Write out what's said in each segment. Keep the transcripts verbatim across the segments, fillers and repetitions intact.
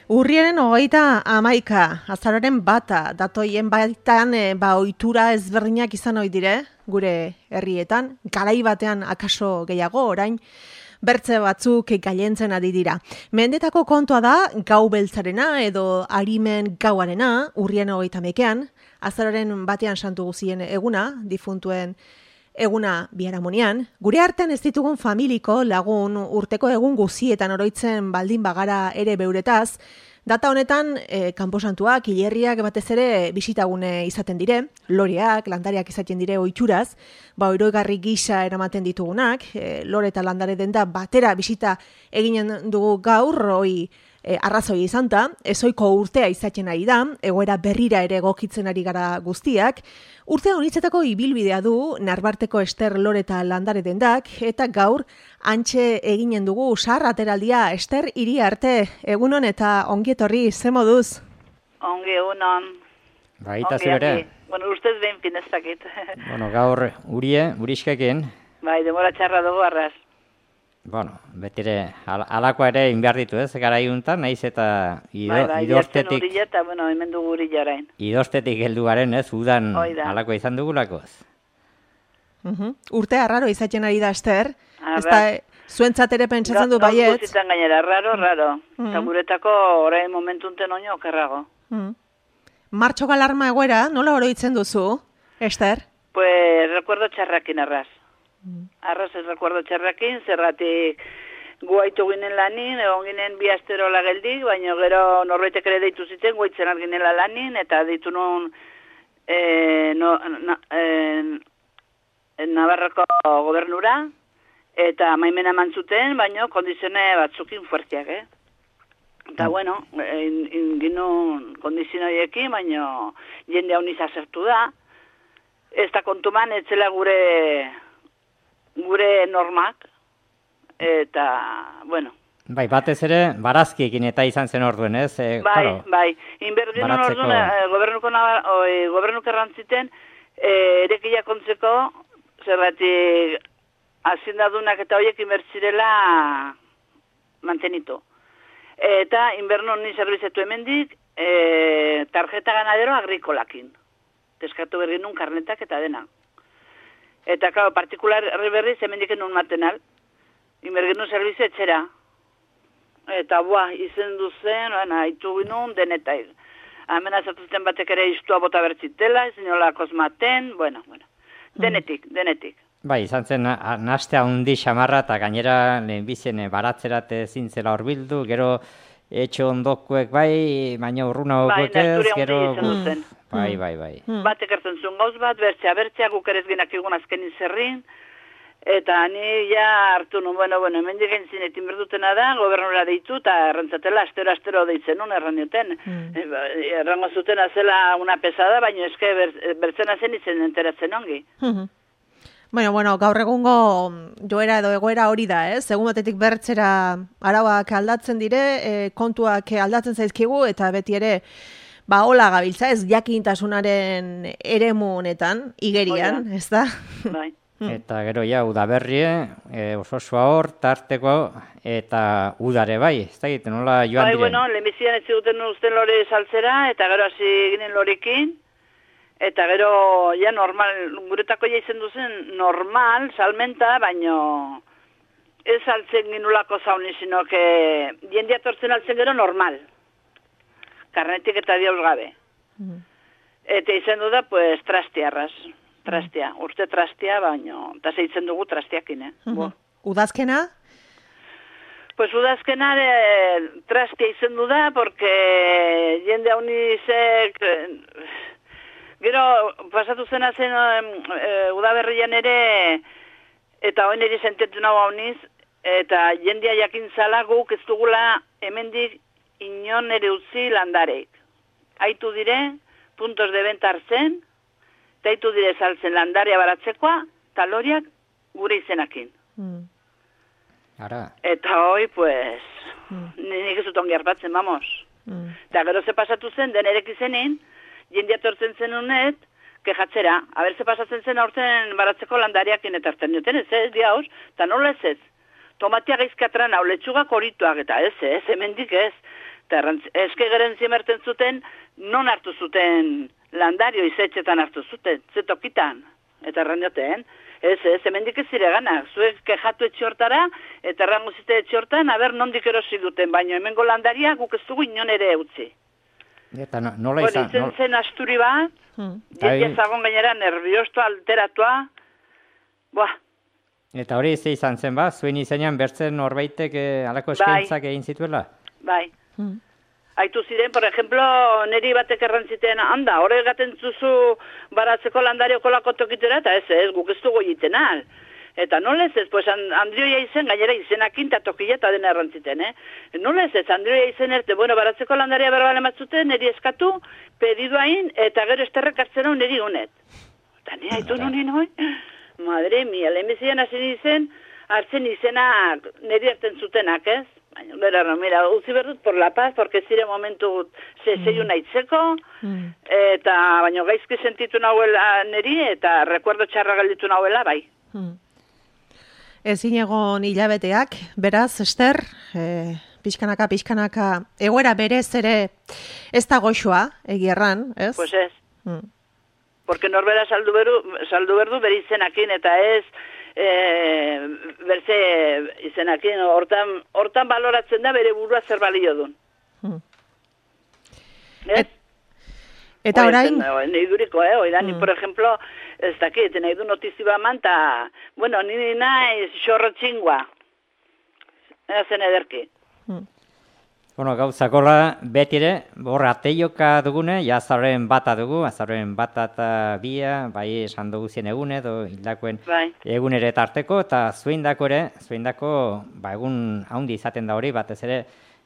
Urriaren hogeita hamaika, azaroren bata, datoien baitan e, ba, ohitura ezberdinak izan ohi dire, gure herrietan, garai batean akaso gehiago orain, bertze batzuk gailentzen ari dira. Mendetako kontua da, gau beltzarena edo arimen gauarena, urriaren hogeita hamaikean, azaroren batean santu guzien eguna, difuntuen eguna biharamunean, gure artean ez ditugun familiko lagun urteko egun guzietan oroitzen baldin bagara ere beuretaz, data honetan e, kanposantuak, hilerriak batez ere bisitagune izaten dire, loreak, landariak izaten dire ohituraz, ba oroigarri gisa eramaten ditugunak, e, lore eta landare denda batera bisita eginen dugu gaur, hoi E, arrazoi izan da, ezoiko urtea izaten ari da, egoera berrira ere egokitzen ari gara guztiak, urtea honitzetako ibilbidea du, narbarteko Ester lore eta landare dendak, eta gaur antxe eginen dugu sar ateraldia Ester hiri arte, egunon eta ongietorri, ze moduz? Ongi egunon. Baita zure. Bueno, ustez behin pinezakit. Bueno, gaur urie, uriskaken. Bai, demora txarra dugu arraz. Bueno, betire, al alakoa ere inbehar ditu ez, gara iuntan, nahiz eta ido, bai, bai, idortetik... Bai, eta, bueno, hemen dugu uri jarain. Idortetik heldu garen ez, udan alakoa izan dugulakoz. Uh -huh. Urte arraro izaten ari da, Ester. Ez da, zuentzat ere pentsatzen du baiet. Gauzitan gainera, raro, raro. Uh -huh. Eta guretako orain momentunten oino okerrago. Uh -huh. Martxo galarma egoera, nola oroitzen duzu, Ester? Pues, recuerdo txarrakin arraz. Arraz ez recuerdo txarrakin, zerratik guaitu ginen lanin, egon ginen bi asterola geldik, baina gero norbaitek ere deitu zitzen, guaitzen arginela lanin, eta deitu nun e, no, na, e, Navarroko gobernura, eta maimena mantzuten, baina kondizione batzukin fuertiak, eh? Eta, bueno, inginun kondizioiekin, baina jende hau niz azertu da, ez da kontuman, etzela gure... gure normak, eta, bueno. Bai, batez ere, barazkiekin eta izan zen orduen, ez? E, bai, claro, bai, inberdinen orduen, e, gobernuko, oi, gobernuko errantziten, e, erekia kontzeko, zerratik, azindadunak eta horiek inbertzirela mantenitu. Eta, inbernu ni zerbizetu hemendik, e, tarjeta ganadero agrikolakin. Teskatu berginun karnetak eta dena. Eta, claro, partikular berriz hemendik enun matenal. Inbergenu zerbizio etxera. Eta, buah, izen duzen, haitu ginun, denetai. Hemen azatuzten batek ere iztua bota bertzitela, izin olakos maten, bueno, bueno. Denetik, denetik. Bai, izan zen, nastea hundi xamarra, eta gainera lehenbizien baratzerat zintzela horbildu, gero etxo ondokuek bai, baina urruna okuek ez, gero... Bai, bai, bai. Hmm. Batek ertzen zuen gauz bat, bertzea, bertzea, guk ere ezginak egun azken izerrin, eta ni ja hartu nun, bueno, bueno, hemen digen zinetin berdutena da, gobernura deitu, eta errantzatela, astero, astero deitzen nun, erran duten. Hmm. Errango zuten azela una pesada, baina eske ber, bertzena zen izen enteratzen ongi. Hmm. Bueno, bueno, gaur egungo joera edo egoera hori da, ez? Egun batetik bertzera arauak aldatzen dire, e, kontuak aldatzen zaizkigu, eta beti ere, ba, hola gabiltza, ez jakintasunaren eremu honetan, igerian, ez da? Bai. Eta gero ja, udaberrie, e, oso hor, tarteko, eta udare bai, ez da egiten, nola joan bai, diren? Bai, bueno, lehenbizian ez ziguten usten lore saltzera, eta gero hasi ginen lorekin, eta gero, ja, normal, guretako ja izen duzen, normal, salmenta, baino, ez saltzen ginulako zauni, sino que jendia tortzen altzen gero normal. Karnetik eta diauz gabe. Mm. Eta izen du da, pues, trastiarraz. Trastia. Mm. Urte trastia, baino, eta zeitzen dugu trastiakin, eh? Mm -hmm. Udazkena? Pues udazkena de, trastia izen du da, porque jende hau nizek... Gero, pasatu zena zen e, udaberrian ere, eta hoen ere sentetu nago hau niz, eta jendia jakin zala guk ez dugula hemendik inon ere utzi landareik. Aitu dire, puntos de venta hartzen, eta aitu dire saltzen landarea baratzekoa, taloriak gure izenakin. Mm. Ara. Eta hoi, pues, mm. nik ez dut ongi harpatzen, vamos. Mm. Eta gero ze pasatu zen, denerek izenin, jendia tortzen zen unet, kejatzera, haber ze pasatzen zen aurten baratzeko landariakin eta hartzen duten, ez ez, diauz, eta nola ez ez. Tomatia gaizkatran hau, letxugak horituak, eta ez ez, hemendik ez. Eta eske geren zimerten zuten, non hartu zuten landario izetxetan hartu zuten, zetokitan. Eta erranioten, ez, ez, hemendik ez zire gana. Zuek kejatu etxortara, eta errango zite etxortan, aber nondik erosi duten, baino hemengo landaria guk ez dugu inon ere utzi. Eta no, nola izan? Bueno, izen zen asturi bat, hmm. jendia zagon gainera nerviosto alteratua, buah. Eta hori ze izan zen ba, zuen izenean bertzen norbaitek eh, alako eskaintzak egin zituela? Bai. Hmm. Aitu ziren, por ejemplo, neri batek errantziten, handa, hori gaten zuzu baratzeko landario kolako tokitera, eta ez ez, guk ez dugu egiten al. Eta nola ez ez, pues Andrioia izen, gainera izenakin eta tokila eta dena errantziten, eh? Nola ez ez, Andrioia izen erte, bueno, baratzeko landaria berbale matzuten, neri eskatu, pedidu hain, eta gero esterrek hartzen hau neri honet. Eta nire haitu nunin hoi, madre mia, lehenbizien hasi izen, hartzen izenak neri hartzen zutenak, ez? Baina, bera, no, mira, utzi berdut por la paz, porque zire momentu zeiu mm. nahitzeko, mm. eta, baina, gaizki sentitu nahuela neri, eta recuerdo txarra galditu nahuela, bai. Mm. Ezin egon hilabeteak, beraz, Ester, e, pixkanaka, pixkanaka, egoera berez ere ez da goxoa, egierran, ez? Pues ez. Mm. Porque norbera saldu berdu, saldu berdu bere izenakin, eta ez, E, berze izenakin, hortan, hortan baloratzen da bere burua zer balio duen. Hmm. Et, eta orain? Nahi duriko, eh? Oida, hmm. ni, por ejemplo, ez dakit, nahi du notiziba manta, bueno, nini naiz xorro txingua. Ezen ederki. Hmm. Bueno, gauzakola beti ere, borra ateioka dugune, ja azaren bata dugu, azaren bata eta bia, bai esan dugu zien egune, edo hildakoen bai. Egunere tarteko, eta zuindako ere, zuindako, ba, egun haundi izaten da hori, batez ere,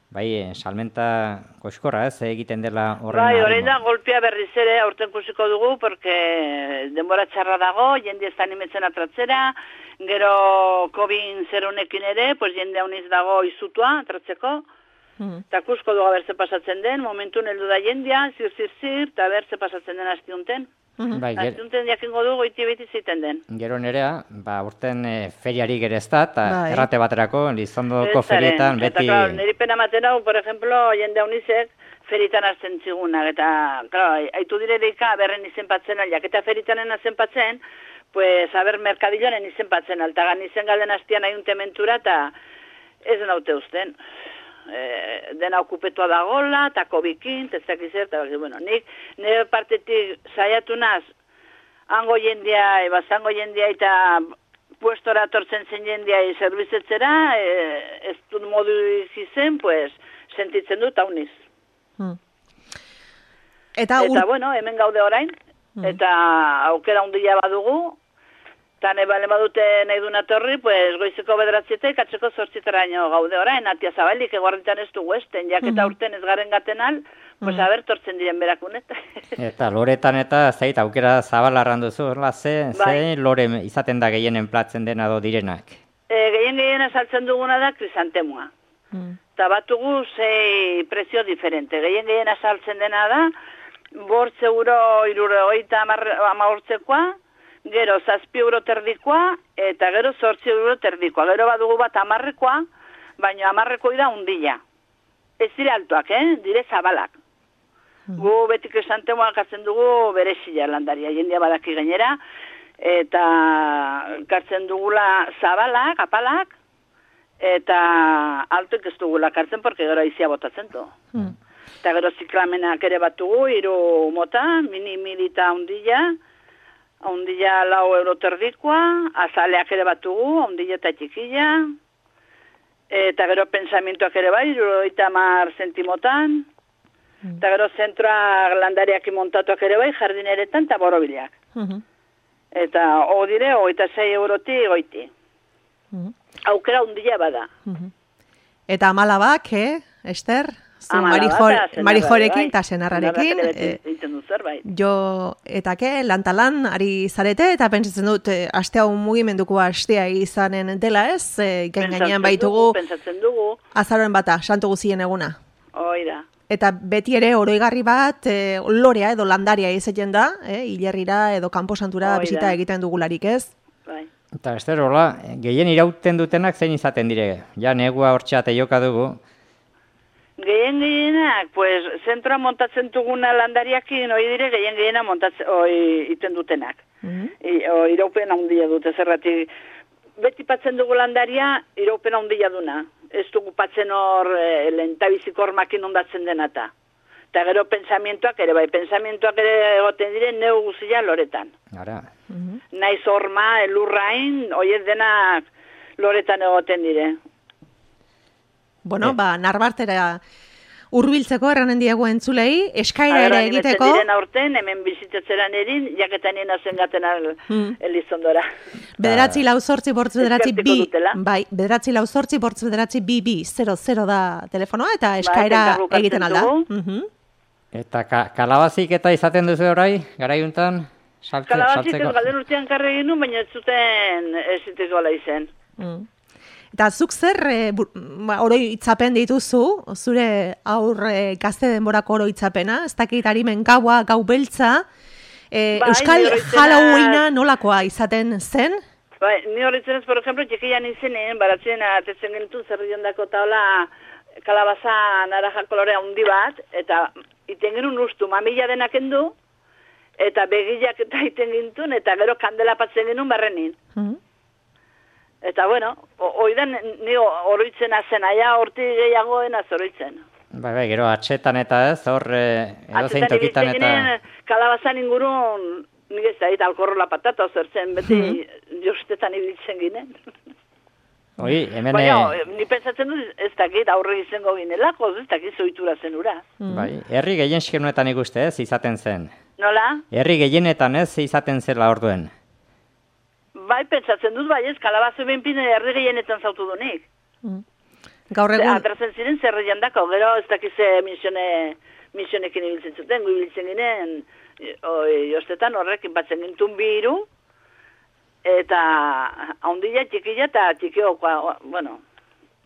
bai, salmenta koxkorra, ez, egiten dela horren. Bai, horrein da, golpea berriz ere aurten kusiko dugu, porque denbora txarra dago, jende ez da animetzen atratzera, gero COVID zerunekin ere, pues jende hauniz dago izutua atratzeko, eta mm. kusko dugu berze pasatzen den, momentu heldu da jendia, zir, zir, zir, eta berze pasatzen den astiunten. Mm-hmm. Bai, astiunten jakingo dugu iti beti ziten den. Gero nerea, ba, urten e, feriari gerez da, eta bai. Errate baterako, Lizondoko ferietan beti... Eta, klar, niri pena maten hau, por ejemplo, jende haunizek, feritan hartzen zigunak, eta, klar, haitu direreika, berren izen patzen aliak, eta feritanen azen patzen, pues, haber, merkadillonen izen patzen, altagan izen galden hastian aiuntementura, eta ez naute usten. Eh, dena okupetua da gola, eta kobikin, testak izer, eta bueno, nik nire partetik saiatu naz, hango jendia, eba zango jendia, eta puestora tortzen zen jendia zerbizetzera, e, ez dut modu izen, pues, sentitzen dut hauniz. Hmm. Eta, eta bueno, hemen gaude orain, hmm. eta aukera hundia badugu, eta nebale badute nahi duna torri, pues, goizeko bederatzietek, atzeko zortzitaraino gaude orain, atia zabalik, eguarritan ez dugu esten, jaketa mm. urten ez garen gaten al, pues, mm. haber, tortzen diren berakunet. Eta loretan eta zeit, aukera zabalarran duzu, horla, ze, bai. Ze lore izaten da gehienen platzen dena do direnak? E, gehien gehien saltzen duguna da krisantemua. Mm. Eta batugu zei prezio diferente. Gehien gehien saltzen dena da, bortze euro, irure, oita amagortzekoa, gero zazpi euro terdikoa, eta gero zortzi euro terdikoa. Gero badugu bat amarrekoa, baina amarrekoi da undila. Ez dire altuak, eh? Dire zabalak. Mm. Gu betik esantemoa kartzen dugu berezila landaria, jendia badaki gainera, eta kartzen dugula zabalak, apalak, eta altuek ez dugula kartzen, porque gero aizia botatzen du. Mm. Eta gero ziklamenak ere batugu, hiru mota, mini milita undila, ondila lau euro terdikoa, azaleak ere batugu, ondila eta txikilla, eta gero pensamientoak ere bai, iruroita mar zentimotan, mm. eta gero zentroa landariak imontatuak ere bai, jardineretan eta borobilak. Mm-hmm. Eta ho dire, oita sei euroti goiti. Mm-hmm. Aukera ondila bada. Mm-hmm. Eta amalabak, eh, Ester? Marijorekin eta senarrarekin. Jo, eta ke, lantalan, ari zarete, eta pentsatzen dut, aste hau mugimenduko astea izanen dela ez, e, gainean baitugu, pentsatzen dugu, azaroen bata, santu guzien eguna. Oida. Eta beti ere, oroigarri bat, e, lorea edo landaria izaten da, e, hilerrira edo kanposantura bisita egiten dugularik ez. Bai. Eta Ester, hola, gehien irauten dutenak zein izaten dire, ja negua hortxea teioka dugu. Gehien gehienak, pues, zentroa montatzen duguna landariakin, hoi dire, gehien gehiena montatzen, hoi iten dutenak. Mm -hmm. Iraupen handia dute, zerratik. Beti patzen dugu landaria, iraupen handia duna. Ez dugu patzen hor, e, lentabizik hormakin ondatzen denata. Eta gero pensamientoak ere, bai, pensamientoak ere egoten dire, neu guzia loretan. Ara. Mm -hmm. Naiz horma, elurrain, hoiet denak loretan egoten dire. Bueno, eh. ba, narbartera hurbiltzeko erranen diegu entzulei, eskaira ere egiteko. Diren aurten, hemen bizitatzeran erin, jaketan nien hazen gaten al, mm. elizondora. Bederatzi lau zortzi bortz bederatzi bi, bai, bederatzi lau zortzi bortz bederatzi bi bi, zero, zero da telefonoa, eta eskaira ba, egiten alda. Mm -hmm. Eta ka, kalabazik eta izaten duzu orai, garaiuntan? Saltze, kalabazik ez galden urtean karre egin, baina ez zuten ez ziteko ala izen. Mm. Eta zuk zer e, oroitzapen dituzu, zure aur e, gazte denborako oroitzapena, ez dakit harimen gaua, gau beltza, e, ba, Euskal Halloweena nolakoa izaten zen? Ba, ni horretzen ez, por ejemplo, txikian izenen, baratzen atetzen gentu zerrion dako taula kalabaza naranja kolorea handi bat, eta iten genuen ustu mamila denak endu, eta begillak eta iten gintun, eta gero kandela patzen genuen barrenin. Mm-hmm. Eta, bueno, oidan ni oroitzen azen, aia horti gehiagoen azoroitzen. Bai, bai, gero atxetan eta ez, hor edo zein tokitan eta... Atxetan kalabazan ingurun, nik ez da, eta alkorrola patata ozertzen, beti hmm. jostetan ibiltzen ginen. Oi, hemen... Baina, ni pensatzen dut ez dakit aurre izango ginelako, ez dakit zoitura zen ura. Hmm. Bai, herri gehien xkenuetan ikuste ez, izaten zen. Nola? Herri gehienetan ez, izaten zela orduen. Bai, pentsatzen dut, bai ez, kalabazo benpine herri gehienetan zautu dunik. Mm. Gaur egun... Atrazen ziren zerreian dako, gero ez dakize misione, misionekin ibiltzen zuten, gu ibiltzen ginen, jostetan horrekin batzen gintun biru, eta haundila txikila eta txikiokoa, bueno,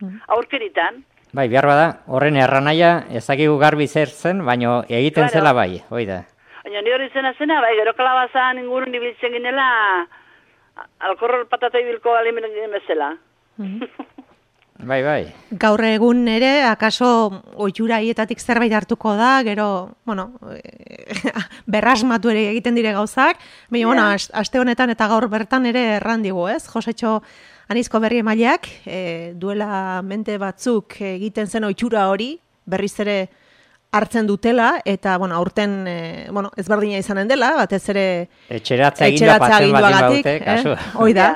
mm. aurkeritan. Bai, behar bada, horren erranaia ezakigu garbi zer zen, baina egiten claro. Zela bai, hoi da. Baina ni hori zena zena, bai, gero kalabazan ingurun ibiltzen ginela, alkorrol patata ibilko alimen bezala. Bai, bai. Gaur egun ere, akaso ohitura hietatik zerbait hartuko da, gero, bueno, berrasmatu ere egiten dire gauzak, baina, yeah. bueno, aste honetan eta gaur bertan ere errandigu, ez? Josetxo Anizko berri emaileak, e, duela mente batzuk egiten zen ohitura hori, berriz ere hartzen dutela, eta, bueno, aurten, e, bueno, ezberdina izanen dela, batez ere... Etxeratza eginda patzen baldin baute, kasu. Eh? Hoi da.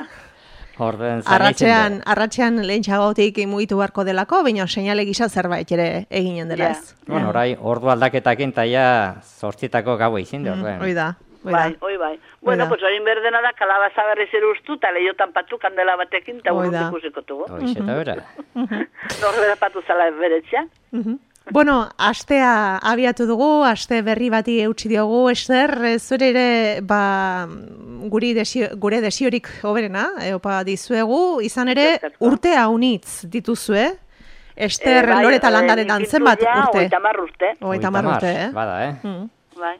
Arratxean, arratxean lehen txagotik mugitu beharko delako, baina seinale gisa zerbait ere eginen dela ez. Yeah. Bueno, orai, ordu aldaketakin taia zortzitako gaua izin da. Mm, oi da. Bai, oi bai. Bueno, pues hori berdena da, kalabaza berriz erustu, eta lehiotan patu kandela batekin, eta urrut ikusiko tugu. Oiz, eta bera. Norbera patu zala beretzea. Bueno, astea abiatu dugu, aste berri bati eutsi diogu, Ester, zure ere, ba, guri desio, gure desiorik hoberena, opa dizuegu, izan ere, urte haunitz dituzue, Ester, e, bai, Loreta landaretan zenbat urte? Oita mar urte. Oita mar urte, eh? Bada, eh? Mm. Bai.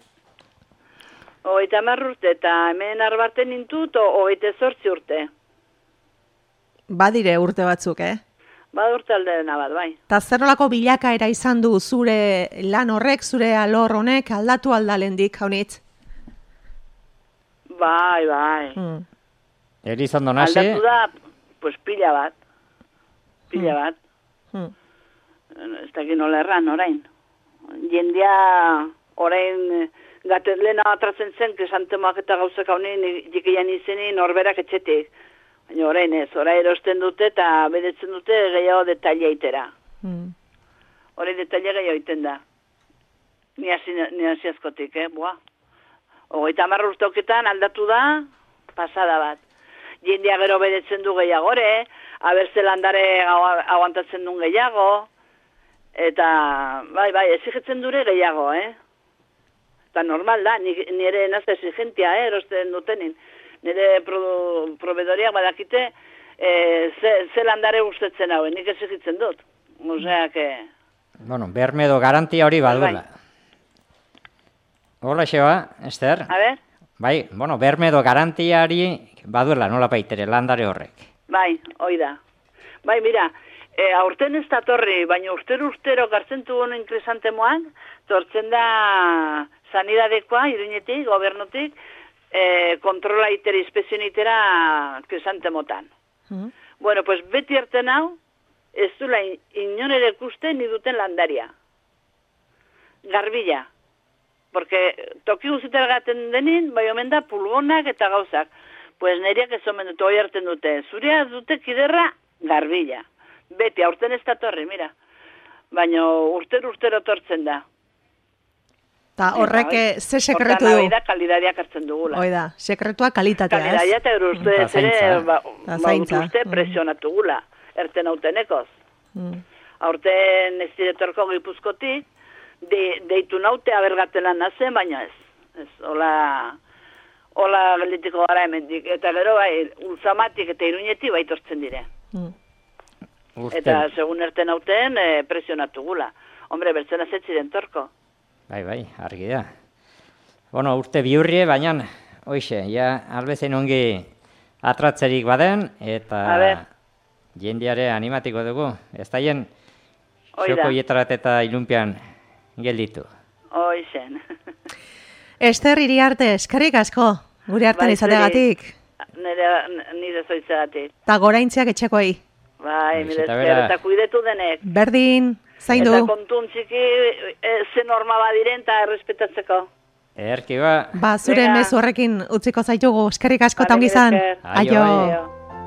Oita mar urte, eta hemen arbarten nintut, oite zortzi urte. Badire urte batzuk, eh? Ba urte aldena bat, bai. Ta zer nolako bilakaera izan du zure lan horrek, zure alor honek aldatu aldalendik, haunitz? Bai, bai. Mm. Elizondo nasi? Aldatu da, pues pila bat. Pila mm. bat. Mm. Ez dakit nola erran, orain. Jendia, orain, gatezlena atratzen zen, kesantemoak eta gauzak haunin, jikian izeni, norberak etxetik. Baina orain ez, orain erosten dute eta bedetzen dute gehiago detalia itera. Mm. Orain detalia gehiago iten da. Ni hasi askotik, eh, boa. Ogoita marra urteoketan aldatu da, pasada bat. Jendia gero bedetzen du gehiagore, abertze landare aguantatzen duen gehiago, eta bai, bai, exigetzen dure gehiago, eh. Eta normal da, nire nazte exigentia, eh, erosten dutenin. Nire pro, probedoriak badakite e, ze, ze landare gustetzen hauen, nik exigitzen dut. Osea, que... Bueno, berme edo garantia hori baduela. Hola, xeba, Ester? A ber? Bai, bueno, berme edo garantiari baduela, nola baitere, landare horrek. Bai, hoi da. Bai, mira, E, aurten ez da torri, baina urtero-urtero gartzen dugun inkresantemoan, tortzen da sanidadekoa, iruñetik, gobernutik, e, kontrola itera, inspezioen itera kresantemotan. Mm. Bueno, pues beti erten hau, ez dula inon ere ikusten ni duten landaria. Garbila. Porque toki guztietara gaten denin, bai omen da pulgonak eta gauzak. Pues neriak ez omen dute, hoi hartzen dute. Zurea dute kiderra, garbila. Beti, aurten ez da torri, mira. Baina urtero-urtero tortzen da. Ta horrek ze sekretu du? Hortan da kalidadiak hartzen dugula. Oida, sekretua kalitatea, ez? Kalidadia eta gero uste ez ere, ba, uste presionatu gula, erten autenekoz. Mm. Aurten ez diretorko Gipuzkotik, de, deitu naute abergatelan nazen, baina ez. Ez, hola, hola gelditiko gara hemendik. Eta gero, bai, ulzamatik eta iruñetik baitortzen dire. Mm. Eta segun erten auten, e, presionatu gula. Hombre, bertzen azetziren torko. Bai, bai, argi da. Bueno, urte biurrie, baina, hoxe, ja, albezen ongi atratzerik baden, eta jendeare animatiko dugu. Ez da jen, xoko hietarat eta ilunpian gelditu. Hoixen. Ester Iriarte, eskerrik asko, gure hartan izategatik. Nire zoitzegatik. Ta goraintziak etxekoei. Bai, mire esker, eta kuidetu denek. Berdin, zain du. Eta kontun txiki, ze norma badiren eta errespetatzeko. Erki ba. Ba, zure mezu horrekin utziko zaitugu, eskerrik asko eta ongi zan. Aio.